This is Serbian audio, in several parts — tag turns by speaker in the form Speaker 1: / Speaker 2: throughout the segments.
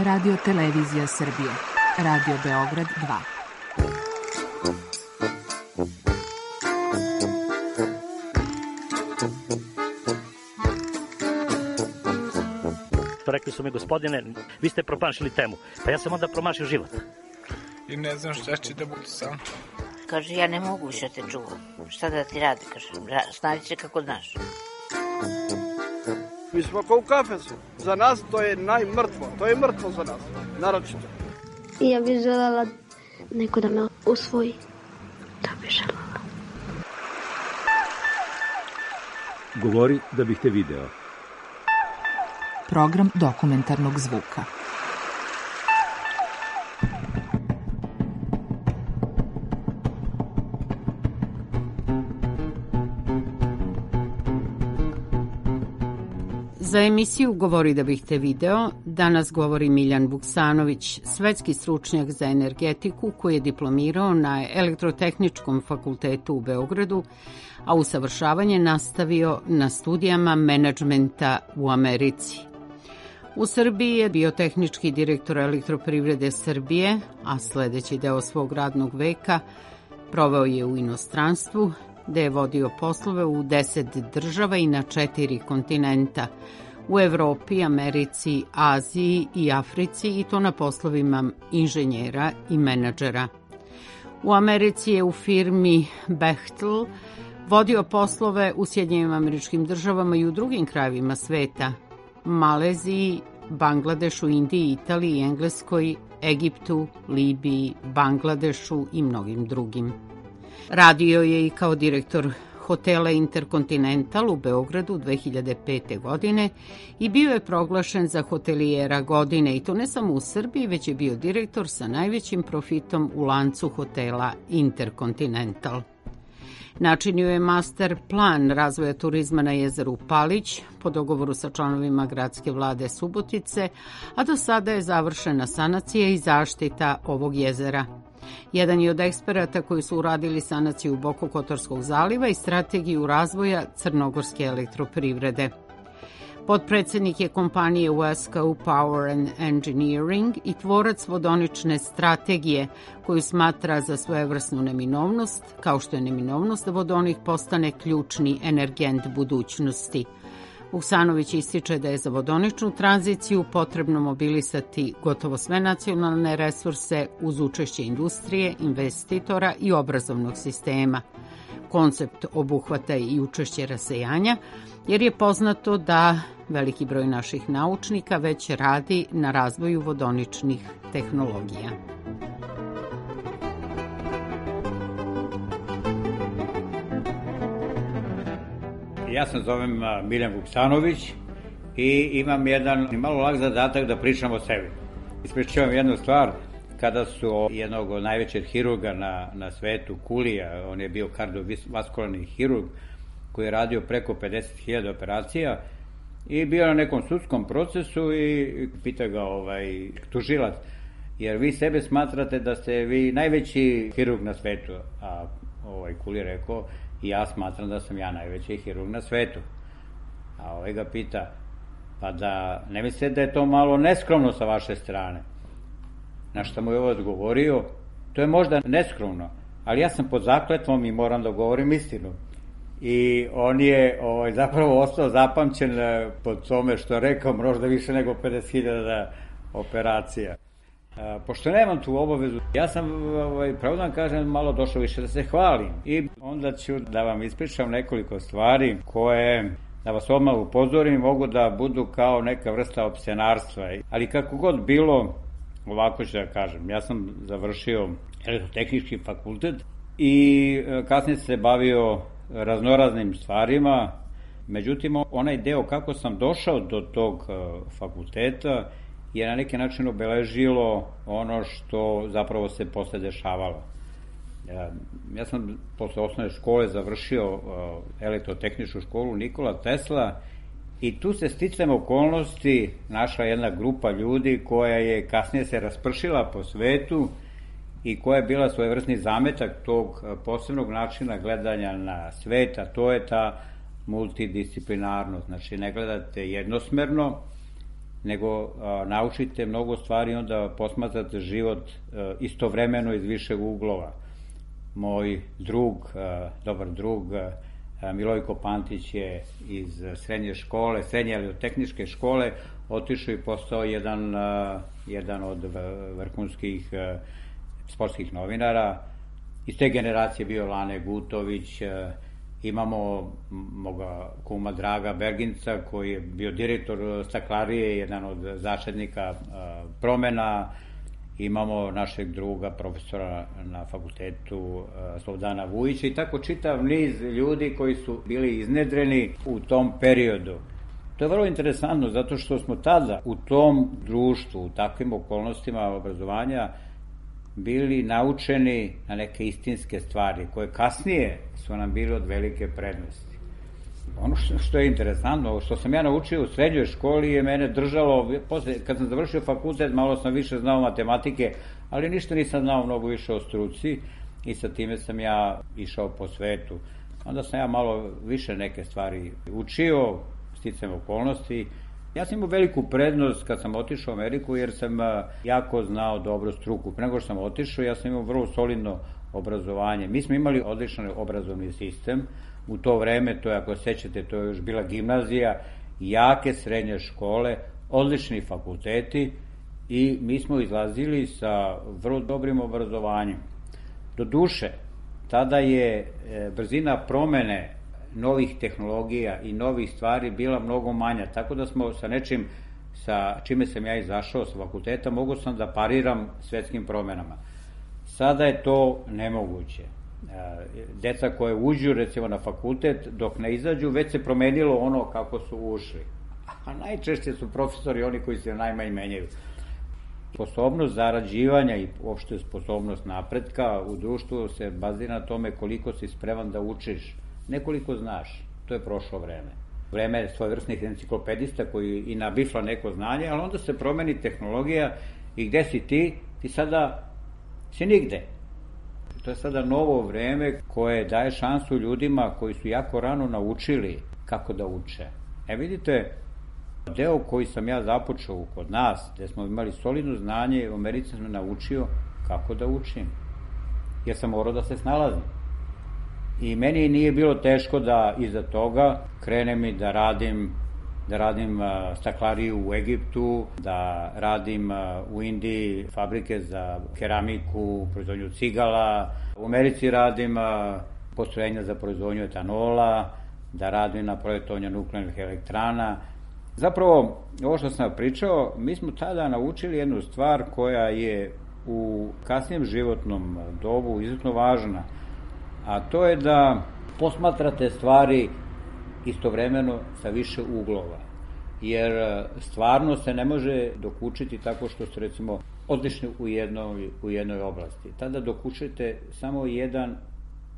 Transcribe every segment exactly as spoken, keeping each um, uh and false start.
Speaker 1: Radio Televizija Srbije, Radio Beograd dva.
Speaker 2: Rekli su mi, gospodine, vi ste promašili temu. Pa ja sam onda promašio život.
Speaker 3: I ne znam šta će da budu sam.
Speaker 4: Kaže, ja ne mogu više te čuvam. Šta da ti radi, kaže, snađi se kako znaš.
Speaker 5: Mi smo kao u kafesu. Za nas to je najmrtvo. To je mrtvo za nas, naročito.
Speaker 6: I ja bih želela neko da me usvoji. Da bih želela.
Speaker 7: Govori da bih te video.
Speaker 1: Program dokumentarnog zvuka.
Speaker 8: Za emisiju Govori da bih te video danas govori Miljan Vuksanović, svetski stručnjak za energetiku koji je diplomirao na Elektrotehničkom fakultetu u Beogradu, a usavršavanje nastavio na studijama menadžmenta u Americi. U Srbiji je bio tehnički direktor Elektroprivrede Srbije, a sledeći deo svog radnog veka proveo je u inostranstvu, gde je vodio poslove u deset država i na četiri kontinenta, u Evropi, Americi, Aziji i Africi, i to na poslovima inženjera i menadžera. U Americi je u firmi Bechtel vodio poslove u Sjedinjenim Američkim Državama i u drugim krajevima sveta, Maleziji, Bangladešu, Indiji, Italiji, Engleskoj, Egiptu, Libiji, Bangladešu i mnogim drugim. Radio je i kao direktor hotela Intercontinental u Beogradu dve hiljade pete. godine i bio je proglašen za hotelijera godine, i to ne samo u Srbiji, već je bio direktor sa najvećim profitom u lancu hotela Intercontinental. Načinio je master plan razvoja turizma na jezeru Palić po dogovoru sa članovima gradske vlade Subotice, a do sada je završena sanacija i zaštita ovog jezera. Jedan je od eksperata koji su uradili sanaciju Bokokotorskog zaliva i strategiju razvoja crnogorske elektroprivrede. Potpredsednik je kompanije Wesco Power and Engineering i tvorac vodonične strategije koju smatra za svojevrsnu neminovnost, kao što je neminovnost da vodonik postane ključni energent budućnosti. Vuksanović ističe da je za vodoničnu tranziciju potrebno mobilisati gotovo sve nacionalne resurse uz učešće industrije, investitora i obrazovnog sistema. Koncept obuhvata i učešće rasejanja, jer je poznato da veliki broj naših naučnika već radi na razvoju vodoničnih tehnologija.
Speaker 9: Ja se zovem Miljan Vuksanović i imam jedan malo lak zadatak da pričam o sebi. Ispričavam jednu stvar, kada su jednog od najvećeg hirurga na, na svetu, Kulija, on je bio kardiovaskularni hirurg koji je radio preko pedeset hiljada operacija i bio na nekom sudskom procesu i pita ga ovaj, tužilac, jer vi sebe smatrate da ste vi najveći hirurg na svetu, a ovaj Kulija rekao, i ja smatram da sam ja najveći hirurg na svetu. A ovaj ga pita, pa da ne mislite da je to malo neskromno sa vaše strane? Na što mu je ovo odgovorio, to je možda neskromno, ali ja sam pod zakletvom i moram da govorim istinu. I on je ovaj, zapravo ostao zapamćen pod tome što je rekao, možda više nego pedeset hiljada operacija. A, pošto nemam tu obavezu, ja sam, ovaj, pravo da vam kažem, malo došao više da se hvalim. I onda ću da vam ispričam nekoliko stvari koje, da vas odmah upozorim, mogu da budu kao neka vrsta opscenarstva. Ali kako god bilo, ovako ću da kažem, ja sam završio Elektrotehnički fakultet i kasnije se bavio raznoraznim stvarima. Međutim, onaj deo kako sam došao do tog fakulteta je na neki način obeležilo ono što zapravo se posle dešavalo. Ja sam posle osnovne škole završio elektrotehničku školu Nikola Tesla i tu se sticajem okolnosti našla jedna grupa ljudi koja je kasnije se raspršila po svetu i koja je bila svojevrsni zametak tog posebnog načina gledanja na svet, a to je ta multidisciplinarnost. Znači, ne gledate jednosmerno, nego a, naučite mnogo stvari, onda posmatrate život a, istovremeno iz višeg uglova. Moj drug, a, dobar drug, a, Milojko Pantić je iz srednje škole, srednje elektrotehničke škole, otišao i postao jedan, a, jedan od vrhunskih a, sportskih novinara. Iz te generacije bio Lane Gutović, a, imamo moga kuma Draga Berginca koji je bio direktor staklarije, jedan od začetnika promena. Imamo našeg druga profesora na fakultetu Slobodana Vujića i tako čitav niz ljudi koji su bili iznedreni u tom periodu. To je vrlo interesantno zato što smo tada u tom društvu, u takvim okolnostima obrazovanja bili naučeni na neke istinske stvari, koje kasnije su nam bili od velike prednosti. Ono što, što je interesantno, što sam ja naučio u srednjoj školi je mene držalo, posle, kad sam završio fakultet, malo sam više znao matematike, ali ništa nisam znao mnogo više o struci i sa time sam ja išao po svetu. Onda sam ja malo više neke stvari učio, sticajem okolnosti. Ja sam imao veliku prednost kad sam otišao u Ameriku jer sam jako znao dobro struku. Pre nego što sam otišao, ja sam imao vrlo solidno obrazovanje. Mi smo imali odličan obrazovni sistem. U to vreme, to je, ako sećate, to je još bila gimnazija, jake srednje škole, odlični fakulteti i mi smo izlazili sa vrlo dobrim obrazovanjem. Do duše, tada je brzina promene novih tehnologija i novih stvari bila mnogo manja, tako da smo sa nečim sa čime sam ja izašao sa fakulteta, mogu sam da pariram svetskim promenama. Sada je to nemoguće. Deca koje uđu recimo na fakultet, dok ne izađu, već se promenilo ono kako su ušli. A najčešće su profesori oni koji se najmanje menjaju. Sposobnost zarađivanja i uopšte sposobnost napretka u društvu se bazira na tome koliko si spreman da učiš. Nekoliko znaš, to je prošlo vreme. Vreme svojevrsnih enciklopedista koji i nabifla neko znanje, ali onda se promeni tehnologija i gde si ti? Ti sada si nigde. To je sada novo vreme koje daje šansu ljudima koji su jako rano naučili kako da uče. E vidite, deo koji sam ja započeo kod nas, gde smo imali solidno znanje, u Americi sam me naučio kako da učim. Jer sam morao da se snalazim. I meni nije bilo teško da iza toga krenem i da radim, da radim staklariju u Egiptu, da radim u Indiji fabrike za keramiku, proizvodnju cigala, u Americi radim postrojenja za proizvodnju etanola, da radim na projektovanju nuklearnih elektrana. Zapravo, ovo što sam pričao, mi smo tada naučili jednu stvar koja je u kasnijem životnom dobu izuzetno važna, a to je da posmatrate stvari istovremeno sa više uglova. Jer stvarno se ne može dokučiti tako što ste recimo odlični u jednoj, u jednoj oblasti. Tada dokučite samo jedan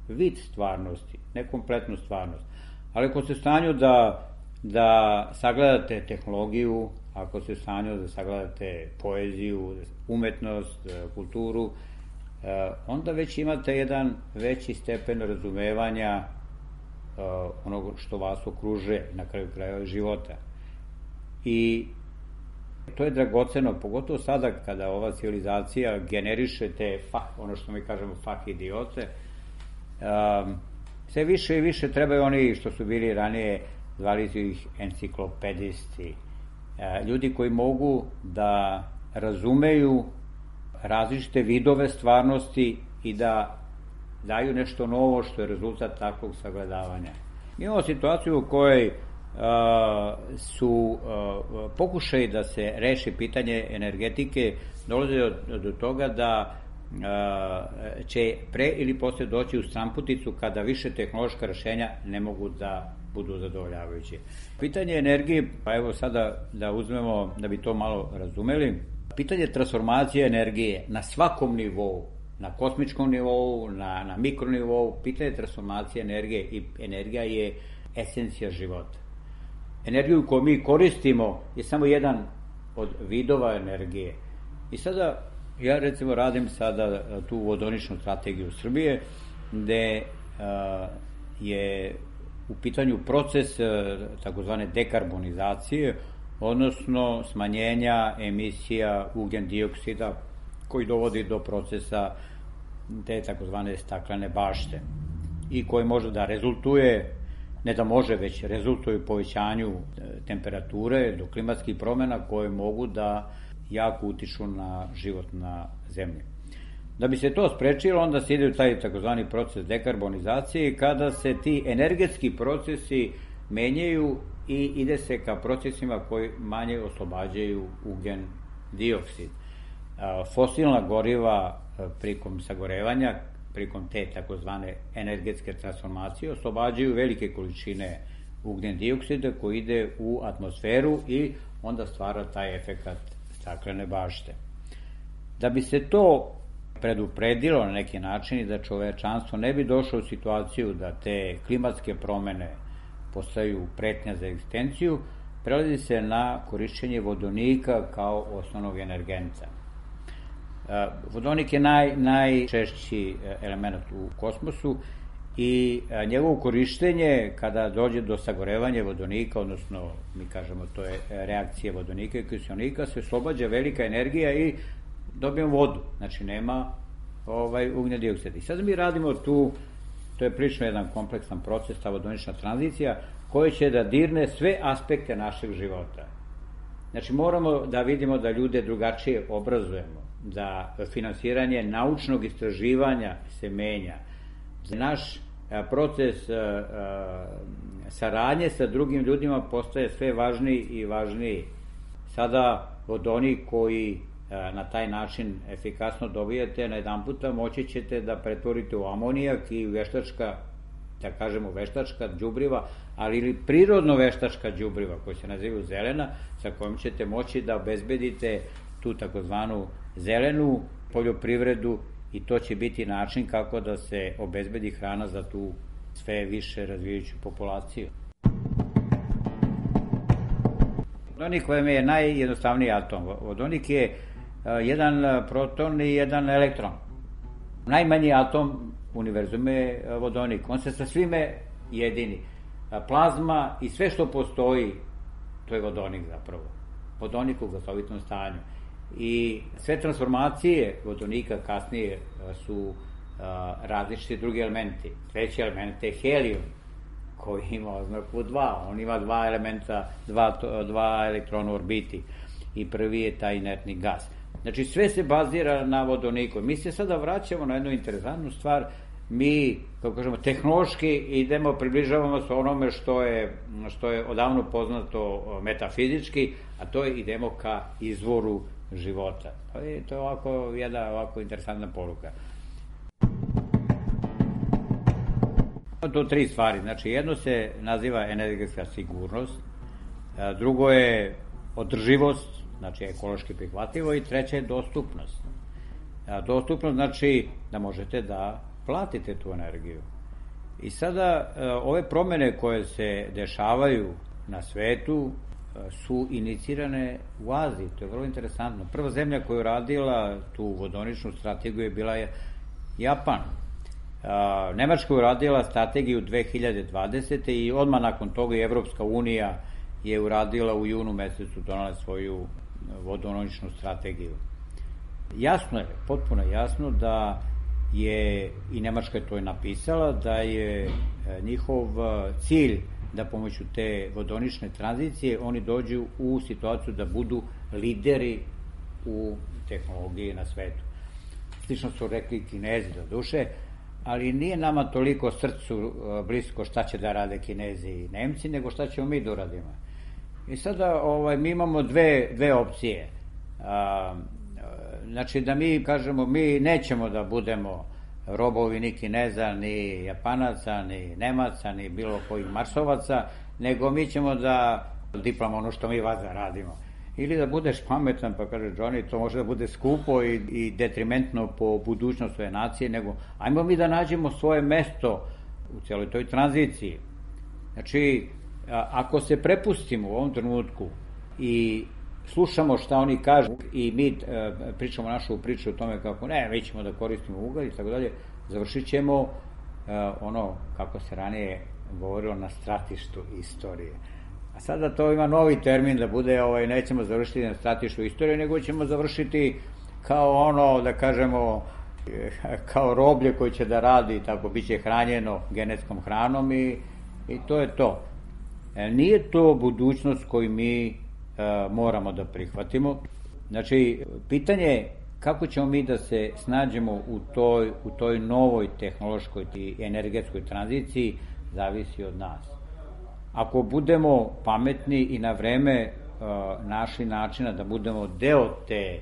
Speaker 9: vid stvarnosti, ne kompletnu stvarnost. Ali ako ste u stanju da, da sagledate tehnologiju, ako ste u stanju da sagledate poeziju, umetnost, kulturu, onda već imate jedan veći stepen razumevanja onoga što vas okružuje na kraju krajeva života. I to je dragoceno, pogotovo sada kada ova civilizacija generiše te, fah, ono što mi kažemo, fah idiote, sve više i više trebaju oni što su bili ranije, zvali su ih enciklopedisti, ljudi koji mogu da razumeju različite vidove stvarnosti i da daju nešto novo što je rezultat takvog sagledavanja. Mi imamo situaciju u kojoj uh, su uh, pokušaji da se reši pitanje energetike dolaze do, do toga da uh, će pre ili posle doći u stramputicu kada više tehnološka rešenja ne mogu da budu zadovoljavajuće. Pitanje energije, pa evo sada da uzmemo, da bi to malo razumeli, pitanje transformacije energije na svakom nivou, na kosmičkom nivou, na, na mikronivou, pitanje transformacije energije i energija je esencija života. Energiju koju mi koristimo je samo jedan od vidova energije. I sada, ja recimo radim sada tu vodoničnu strategiju Srbije, gde a, je u pitanju proces takozvane dekarbonizacije, odnosno smanjenja emisija ugljen dioksida koji dovodi do procesa te takozvane staklene bašte i koji može da rezultuje, ne da može, već rezultuje u povećanju temperature do klimatskih promjena koje mogu da jako utiču na život na zemlji. Da bi se to sprečilo, onda se ide u taj takozvani proces dekarbonizacije, kada se ti energetski procesi menjaju i ide se ka procesima koji manje oslobađaju ugljen dioksid. Fosilna goriva prikom sagorevanja, prikom te takozvane energetske transformacije, oslobađaju velike količine ugljen dioksida koji ide u atmosferu i onda stvara taj efekat staklene bašte. Da bi se to predupredilo na neki način i da čovečanstvo ne bi došlo u situaciju da te klimatske promene postaju pretnja za egzistenciju, prelazi se na korišćenje vodonika kao osnovnog energenta. Vodonik je naj, najčešći element u kosmosu i njegovo korištenje kada dođe do sagorevanja vodonika, odnosno mi kažemo to je reakcija vodonika i kiseonika, se oslobađa velika energija i dobijemo vodu, znači nema ovaj, ugljen dioksida. I sad mi radimo tu, to je prilično jedan kompleksan proces, ta vodonična tranzicija, koja će da dirne sve aspekte našeg života. Znači moramo da vidimo da ljude drugačije obrazujemo, da finansiranje naučnog istraživanja se menja, da naš proces saradnje sa drugim ljudima postaje sve važniji i važniji. Sada vodonik koji na taj način efikasno dobijete, na jedan puta moći ćete da pretvorite u amonijak i veštačka, da kažemo veštačka đubriva, ali ili prirodno veštačka đubriva koja se nazivaju zelena, sa kojom ćete moći da obezbedite tu takozvanu zelenu poljoprivredu i to će biti način kako da se obezbedi hrana za tu sve više razvijajuću populaciju. Vodonik kojem je najjednostavniji atom. Vodonik je jedan proton i jedan elektron. Najmanji atom univerzuma je vodonik. On se sa svime jedini. Plazma i sve što postoji, to je vodonik zapravo. Vodonik u gasovitom stanju. I sve transformacije vodonika kasnije su različiti drugi elementi. Treći element je helijum, koji ima oznaku dva. On ima dva elementa, dva, dva elektrona u orbiti. I prvi je taj inertni gas. Znači sve se bazira na vodoniku. Mi se sada vraćamo na jednu interesantnu stvar. Mi, kako kažemo, tehnološki idemo, približavamo se onome što je, što je odavno poznato metafizički, a to je idemo ka izvoru života. To je, to je ovako jedna ovako interesantna poruka. To tri stvari. Znači, jedno se naziva energetska sigurnost, drugo je održivost, znači ekološki prihvatljivo, i treća je dostupnost. Dostupnost znači da možete da platite tu energiju. I sada ove promene koje se dešavaju na svetu su inicirane u Aziji, to je vrlo interesantno. Prva zemlja koja je radila tu vodoničnu strategiju je bila Japan. Nemačka je uradila strategiju dve hiljade dvadesete i odmah nakon toga i Evropska unija je uradila u junu mesecu, donala svoju vodoničnu strategiju. Jasno je, potpuno jasno da je, i Nemačka je to je napisala, da je njihov cilj da pomoću te vodonične tranzicije oni dođu u situaciju da budu lideri u tehnologiji na svetu. Slično su rekli Kinezi do duše, ali nije nama toliko srcu blisko šta će da rade Kinezi i Nemci, nego šta ćemo mi da uradimo. I sada ovaj, mi imamo dve, dve opcije. A, znači da mi kažemo, mi nećemo da budemo robovi ni Kineza, ni Japanaca, ni Nemaca, ni bilo kojih Marsovaca, nego mi ćemo da diploma ono što mi vas radimo. Ili da budeš pametan, pa kaže Johnny, to može da bude skupo i, i detrimentno po budućnost svoje nacije, nego ajmo mi da nađemo svoje mesto u celoj toj tranziciji. Znači, ako se prepustimo u ovom trenutku i slušamo šta oni kažu i mi e, pričamo našu priču o tome kako ne, mi ćemo da koristimo ugalj i tako dalje, završit ćemo e, ono kako se ranije govorilo na stratištu istorije. A sada to ima novi termin da bude, ovaj, nećemo završiti na stratešku istoriju, nego ćemo završiti kao ono, da kažemo, kao roblje koji će da radi, tako bit će hranjeno genetskom hranom i, i to je to. E, nije to budućnost koju mi e, moramo da prihvatimo. Znači, pitanje je kako ćemo mi da se snađemo u toj, u toj novoj tehnološkoj i energetskoj tranziciji, zavisi od nas. Ako budemo pametni i na vreme uh, našli načina da budemo deo te,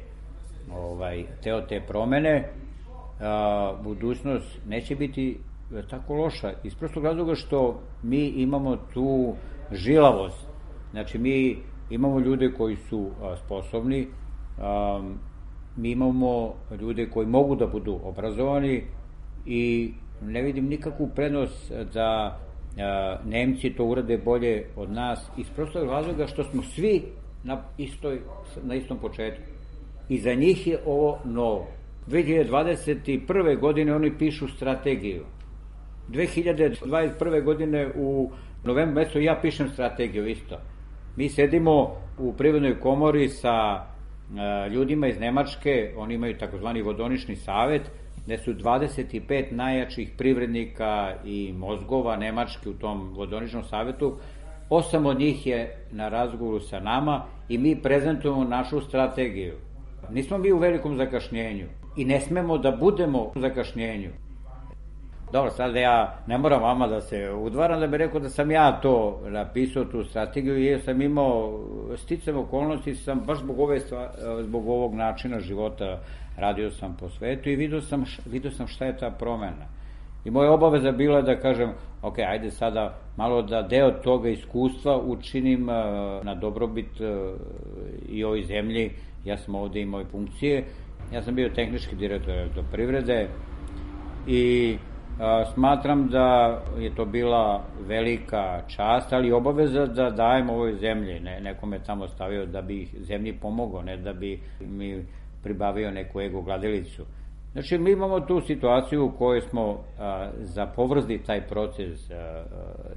Speaker 9: ovaj, deo te promene, uh, budućnost neće biti tako loša. Iz prostog razloga što mi imamo tu žilavost. Znači, mi imamo ljude koji su uh, sposobni, um, mi imamo ljude koji mogu da budu obrazovani i ne vidim nikakvu prednost da uh, Nemci to urade bolje od nas iz prostog razloga što smo svi na, istoj, na istom početku. I za njih je ovo novo. dve hiljade dvadeset prve. godine oni pišu strategiju. dve hiljade dvadeset prve. godine u novembru mesecu ja pišem strategiju isto. Mi sedimo u Privrednoj komori sa ljudima iz Nemačke, oni imaju takozvani vodonični savet, gde su dvadeset pet najjačih privrednika i mozgova Nemačke u tom vodoničnom savetu. Osam od njih je na razgovoru sa nama i mi prezentujemo našu strategiju. Nismo mi u velikom zakašnjenju i ne smemo da budemo u zakašnjenju. Dobro, sad ja ne moram vama da se udvaram, da bih rekao da sam ja to napisao, tu strategiju, jer sam imao sticam okolnosti, sam baš zbog, ove stvari, zbog ovog načina života radio sam po svetu i vidio sam, vidio sam šta je ta promena. I moja obaveza bila da kažem, ok, ajde sada malo da deo toga iskustva učinim na dobrobit i ovoj zemlji. Ja sam ovde imao funkcije, ja sam bio tehnički direktor do privrede i smatram da je to bila velika čast, ali obaveza da dajem ovoj zemlji. Ne, neko me tamo stavio da bi zemlji pomogao, ne da bi mi pribavio neku ego gladilicu. Znači, mi imamo tu situaciju u kojoj smo a, zapovrzli taj proces a,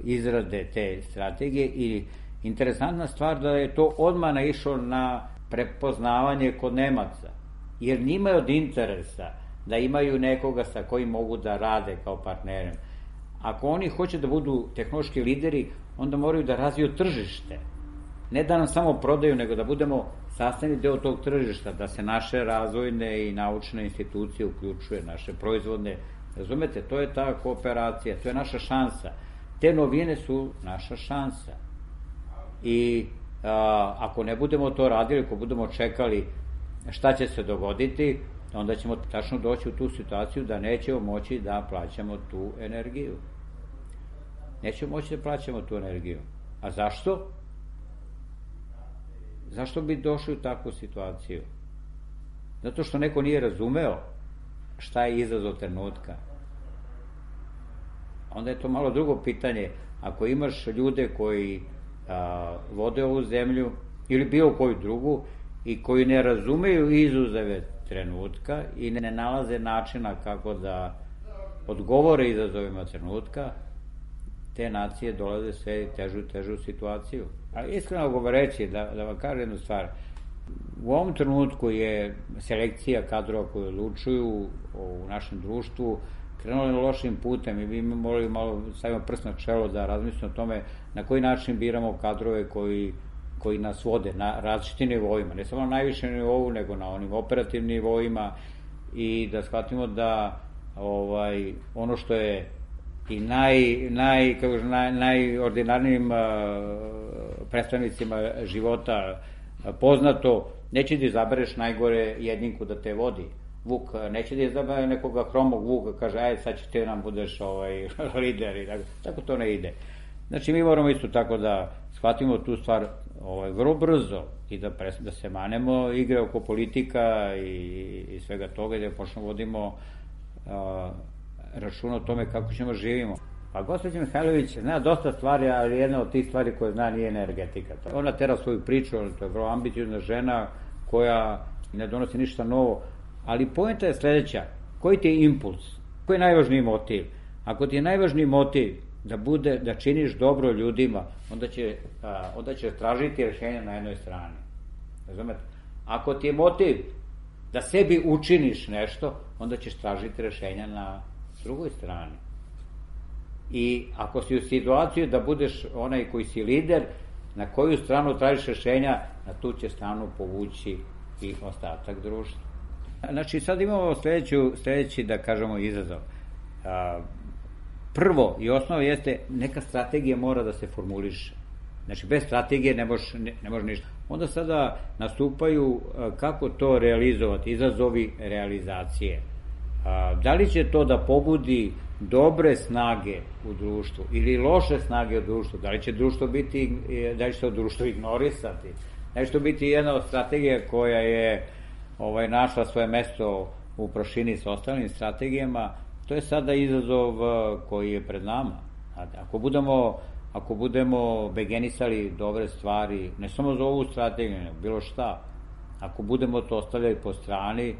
Speaker 9: izrade te strategije i interesantna stvar da je to odmah naišlo na prepoznavanje kod Nemaca, jer njima je od interesa da imaju nekoga sa kojim mogu da rade kao partnerem. Ako oni hoće da budu tehnološki lideri, onda moraju da razviju tržište. Ne da nam samo prodaju, nego da budemo sastavni deo tog tržišta, da se naše razvojne i naučne institucije uključuje, naše proizvodne. Razumete, to je ta kooperacija, to je naša šansa. Te novine su naša šansa. I a, ako ne budemo to radili, ako budemo čekali šta će se dogoditi, onda ćemo tačno doći u tu situaciju da nećemo moći da plaćamo tu energiju. Nećemo moći da plaćamo tu energiju. A zašto? Zašto bi došli u takvu situaciju? Zato što neko nije razumeo šta je izazov trenutka. Onda je to malo drugo pitanje. Ako imaš ljude koji a, vode ovu zemlju ili bilo koju drugu i koji ne razumeju izazove trenutka i ne nalaze načina kako da odgovore izazovima trenutka, te nacije dolaze sve težu i težu situaciju. A iskreno govoreći, da, da vam kažem jednu stvar, u ovom trenutku je selekcija kadrova koji odlučuju u našem društvu krenuli lošim putem i mi morali malo stavimo prst na čelo da razmislimo o tome na koji način biramo kadrove koji koji nas vode na različitim nivoima, ne samo na najvišem nivou, nego na onim operativnim nivoima i da shvatimo da ovaj, ono što je i naj, naj, kako naj, najordinarnijim uh, predstavnicima života uh, poznato, neće da izabereš najgore jedninku da te vodi. Vuk, neće da izabere nekoga hromog vuka, kaže, ajde, sad će ti nam budeš ovaj, lider i tako, tako to ne ide. Znači, mi moramo isto tako da shvatimo tu stvar ovaj, vrlo brzo i da, pres, da se manemo igre oko politika i, i svega toga i da počnemo vodimo uh, računa o tome kako ćemo živimo. Pa gospođa Mihajlović zna dosta stvari, ali jedna od tih stvari koje zna nije energetika. Ona tera svoju priču, to je vrlo ambiciozna žena koja ne donosi ništa novo, ali poenta je sledeća, koji ti je impuls, koji je najvažniji motiv? Ako ti je najvažniji motiv da bude, da činiš dobro ljudima, onda će, a, onda će tražiti rešenja na jednoj strani. Razumete? Ako ti je motiv da sebi učiniš nešto, onda ćeš tražiti rešenja na drugoj strani. I ako si u situaciji da budeš onaj koji si lider, na koju stranu tražiš rešenja, na tu će stranu povući i ostatak društva. Znači, sad imamo sledeću, sledeći, da kažemo, izazov. Prvo i osnovo jeste, neka strategija mora da se formuliše. Znači, bez strategije ne može, ne, ne može ništa. Onda sada nastupaju kako to realizovati, izazovi realizacije. Da li će to da pobudi dobre snage u društvu ili loše snage u društvu? Da li će društvo biti, da li će to društvo ignorisati? Da li će to biti jedna od strategija koja je ovaj, našla svoje mesto u prašini sa ostalim strategijama? To je sada izazov koji je pred nama. Ako budemo, ako budemo begenisali dobre stvari, ne samo za ovu strategiju, nego bilo šta, ako budemo to ostavljali po strani,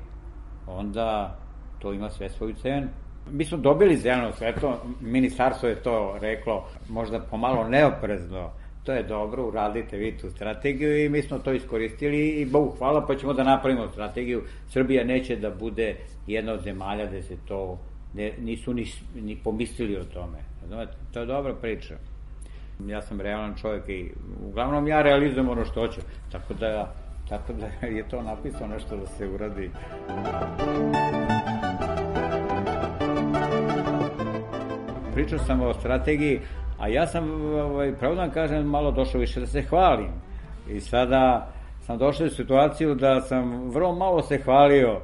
Speaker 9: onda to ima sve svoju cenu. Mi smo dobili zeleno svetlo, ministarstvo je to reklo, možda pomalo neoprezno, to je dobro, uradite vi tu strategiju i mi smo to iskoristili i Bogu hvala, pa ćemo da napravimo strategiju. Srbija neće da bude jedna od zemalja gde se to ne, nisu ni, ni pomislili o tome. Znate, to je dobra priča. Ja sam realan čovjek i uglavnom ja realizujem ono što hoću, tako da, tako da je to napisano nešto da se uradi. Pričao sam o strategiji, a ja sam, ovaj, pravo da kažem, malo došao više da se hvalim. I sada sam došao u situaciju da sam vrlo malo se hvalio.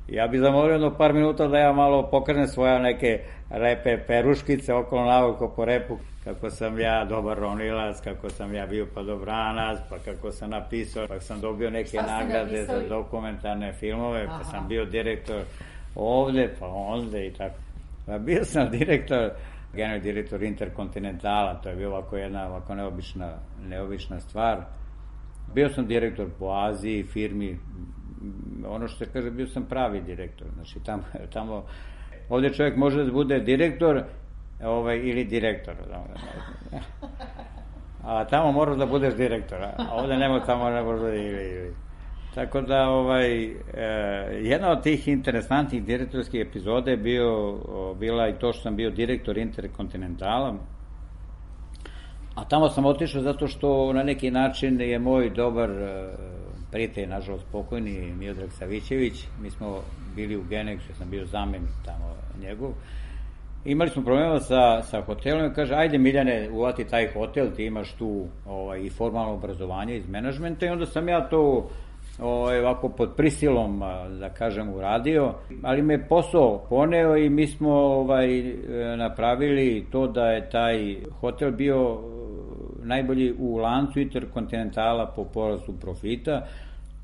Speaker 9: Ja bih zamolio jedno par minuta da ja malo pokrenem svoje neke lepe peruškice okolo naoko po repu, kako sam ja dobar ronilac, kako sam ja bio padobranac, pa kako sam napisao, pa sam dobio neke nagrade za dokumentarne filmove, pa sam bio direktor ovde, pa onde i tako. Pa bio sam direktor, generalni direktor Interkontinentala, to je bila ovako jedna ovako neobična, neobična stvar. Bio sam direktor po Aziji, firmi, ono što se kaže, bio sam pravi direktor. Znači, tamo, tamo ovde čovjek može da bude direktor ovaj, ili direktor. A tamo moraš da budeš direktor, a ovde nema, tamo ne može da ili, ili. Tako da, ovaj, e, jedna od tih interesantnih direktorskih epizoda je bio, bila i to što sam bio direktor Interkontinentala, a tamo sam otišao zato što na neki način je moj dobar e, prijatelj, nažalost pokojni, Miodrag Savićević, mi smo bili u Geneksu, ja sam bio zamenik tamo njegov, imali smo problema sa, sa hotelom i kaže, ajde Miljane, uvati taj hotel, ti imaš tu ovaj, i formalno obrazovanje iz menadžmenta i onda sam ja to ovaj, ovako pod prisilom, da kažem, uradio, ali me posao poneo i mi smo ovaj, napravili to da je taj hotel bio najbolji u lancu Interkontinentala po porastu profita,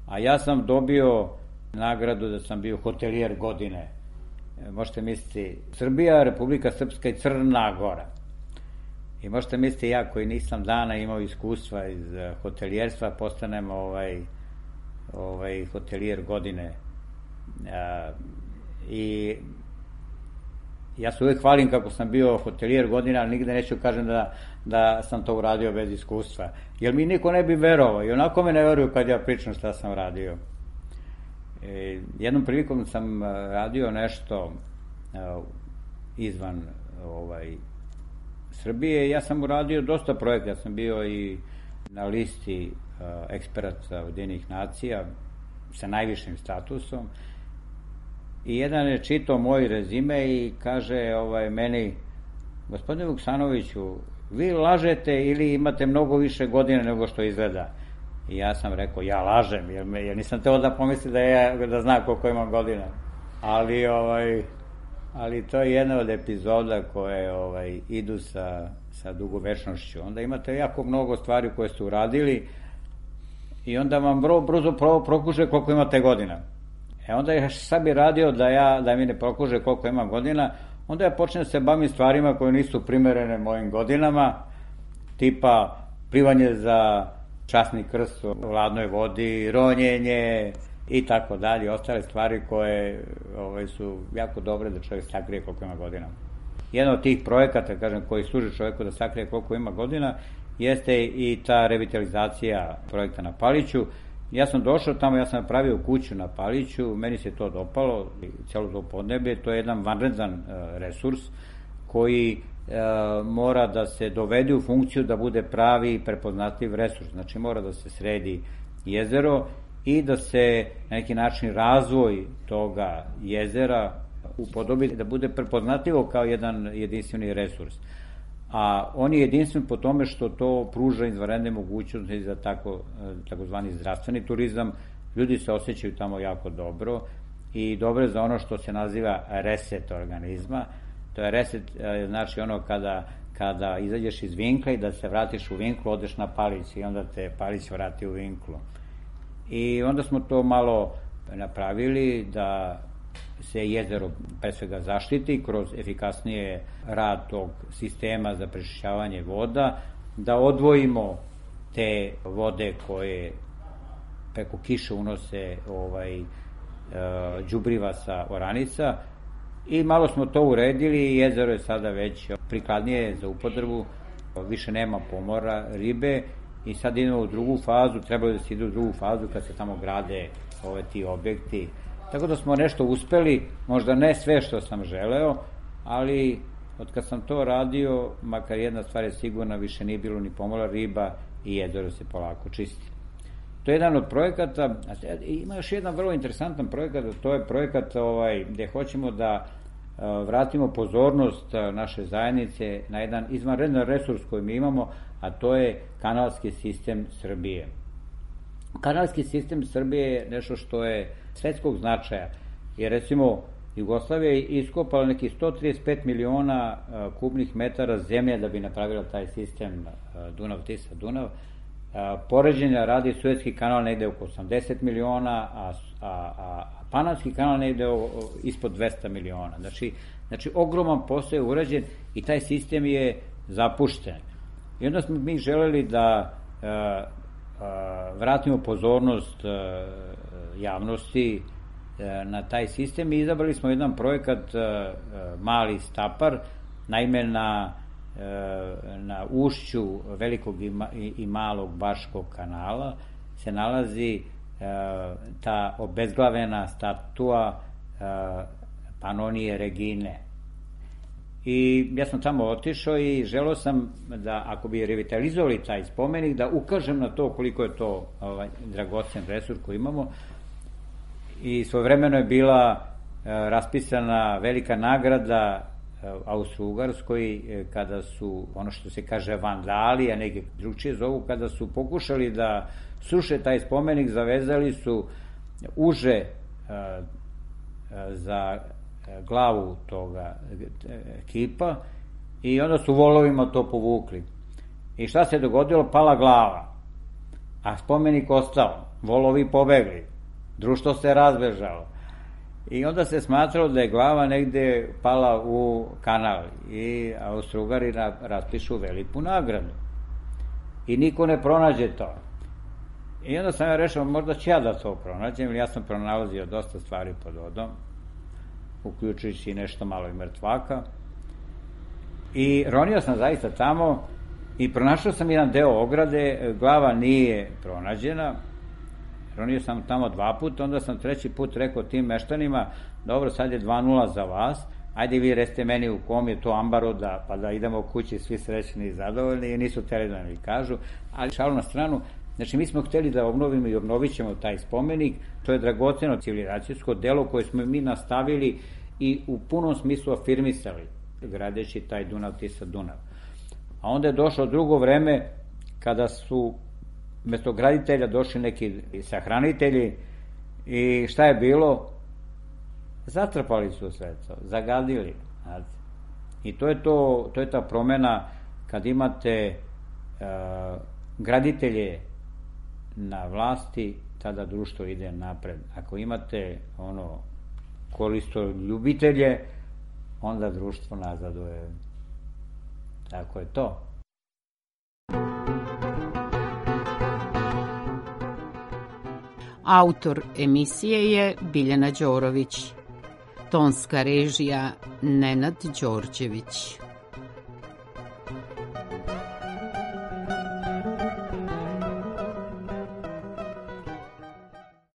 Speaker 9: a ja sam dobio nagradu da sam bio hotelijer godine. Možete misliti, Srbija, Republika Srpska i Crna Gora. I možete misliti, ja koji nisam dana imao iskustva iz hotelijerstva, postanem ovaj, ovaj hotelijer godine. A, i ja se uvek hvalim kako sam bio hotelijer godina, ali nigde neću kažem da, da sam to uradio bez iskustva. Jer mi niko ne bi verovao i onako me ne veruju kad ja pričam šta sam radio. E, jednom prilikom sam radio nešto uh, izvan ovaj, Srbije. Ja sam uradio dosta projekta, ja sam bio i na listi uh, eksperata Ujedinjenih nacija sa najvišim statusom i jedan je čitao moj rezime i kaže ovaj, meni, gospodine Vuksanoviću, vi lažete ili imate mnogo više godina nego što izgleda? I ja sam rekao, ja lažem, jer, me, jer nisam teo da pomisli da, ja, da znam koliko imam godina. Ali, ovaj, ali to je jedna od epizoda koje ovaj, idu sa, sa dugovečnošću. Onda imate jako mnogo stvari koje ste uradili i onda vam vrlo brzo pro, prokuže koliko imate godina. E onda ja sad bi radio da, ja, da mi ne prokuže koliko imam godina, onda ja počnem da se bavim stvarima koje nisu primerene mojim godinama, tipa plivanje za časni krst u hladnoj vodi, ronjenje i tako dalje, ostale stvari koje ovaj, su jako dobre da čovjek sakrije koliko ima godina. Jedan od tih projekata, kažem, koji služi čovjeku da sakrije koliko ima godina, jeste i ta revitalizacija projekta na Paliću. Ja sam došao tamo, ja sam napravio kuću na Paliću, meni se to dopalo, celo to podneblje, to je jedan vanredan resurs koji e, mora da se dovede u funkciju da bude pravi i prepoznatljiv resurs. Znači mora da se sredi jezero i da se na neki način razvoj toga jezera upodobi da bude prepoznatljivo kao jedan jedinstveni resurs. A on je jedinstven po tome što to pruža izvanredne mogućnosti za tako, takozvani zdravstveni turizam. Ljudi se osjećaju tamo jako dobro i dobro je za ono što se naziva reset organizma. To je reset, znači ono kada, kada izađeš iz Vinkla i da se vratiš u Vinklu, odeš na Palić i onda te Palić vrati u Vinklu. I onda smo to malo napravili da se jezero pre svega zaštiti kroz efikasnije rad tog sistema za prečišćavanje voda, da odvojimo te vode koje preko kiše unose ovaj, đubriva sa oranica i malo smo to uredili i jezero je sada već prikladnije za upotrebu, više nema pomora ribe i sad idemo u drugu fazu, trebalo da se ide u drugu fazu kad se tamo grade ove ti objekti. Tako da smo nešto uspeli, možda ne sve što sam želeo, ali od kad sam to radio, makar jedna stvar je sigurna, više nije bilo ni pomora riba i jezero se polako čisti. To je jedan od projekata, ima još jedan vrlo interesantan projekat, to je projekat ovaj, gde hoćemo da vratimo pozornost naše zajednice na jedan izvanredan resurs koji mi imamo, a to je kanalski sistem Srbije. Kanalski sistem Srbije je nešto što je svetskog značaja, jer recimo Jugoslavija je iskopala neki sto trideset pet miliona kubnih metara zemlje da bi napravila taj sistem Dunav-Tisa-Dunav. Poređenja radi Suetski kanal negde oko osamdeset miliona, a, a, a Panamski kanal negde o, ispod dvesta miliona. Znači, znači ogroman posao je urađen i taj sistem je zapušten. I onda smo mi želeli da a, a, vratimo pozornost a, javnosti a, na taj sistem i izabrali smo jedan projekat a, Mali Stapar, naime na na ušću velikog i malog Baškog kanala se nalazi ta obezglavena statua Panonije Regine. I ja sam tamo otišao i želeo sam da, ako bi revitalizovali taj spomenik, da ukažem na to koliko je to ovaj, dragocen resurs koji imamo. I svojevremeno je bila raspisana velika nagrada Austro-Ugarskoj, kada su, ono što se kaže vandali, a neke drugčije zovu, kada su pokušali da sruše taj spomenik, zavezali su uže a, a, za glavu toga kipa i onda su volovima to povukli. I šta se dogodilo? Pala glava, a spomenik ostao, volovi pobegli, društvo se razbežalo. I onda se smatralo da je glava negde pala u kanal i Austro-Ugari raspišu veliku nagradu. I niko ne pronađe to. I onda sam ja rešao, možda ću ja da to pronađem, jer ja sam pronalazio dosta stvari pod vodom, uključujući nešto malo i mrtvaka. I ronio sam zaista tamo i pronašao sam jedan deo ograde, glava nije pronađena. Ronio sam tamo dva puta, onda sam treći put rekao tim meštanima, dobro, sad je dva nula za vas, ajde vi recite meni u kom je to ambaru, da, pa da idemo kući svi srećni i zadovoljni, i nisu hteli da mi kažu, ali šalu na stranu, znači mi smo hteli da obnovimo i obnovit ćemo taj spomenik, to je dragoceno civilizacijsko delo koje smo mi nastavili i u punom smislu afirmisali, gradeći taj Dunav-Tisa-Dunav. A onda je došlo drugo vreme kada su mesto graditelja došli neki sahranitelji i šta je bilo? Zatrpali su sve to, zagadili. Znate. I to je, to, to je ta promena kad imate uh, graditelje na vlasti, tada društvo ide napred. Ako imate ono koristoljubitelje, onda društvo nazaduje. Tako je to.
Speaker 8: Autor emisije je Biljana Đorović. tonska režija Nenad Đorđević.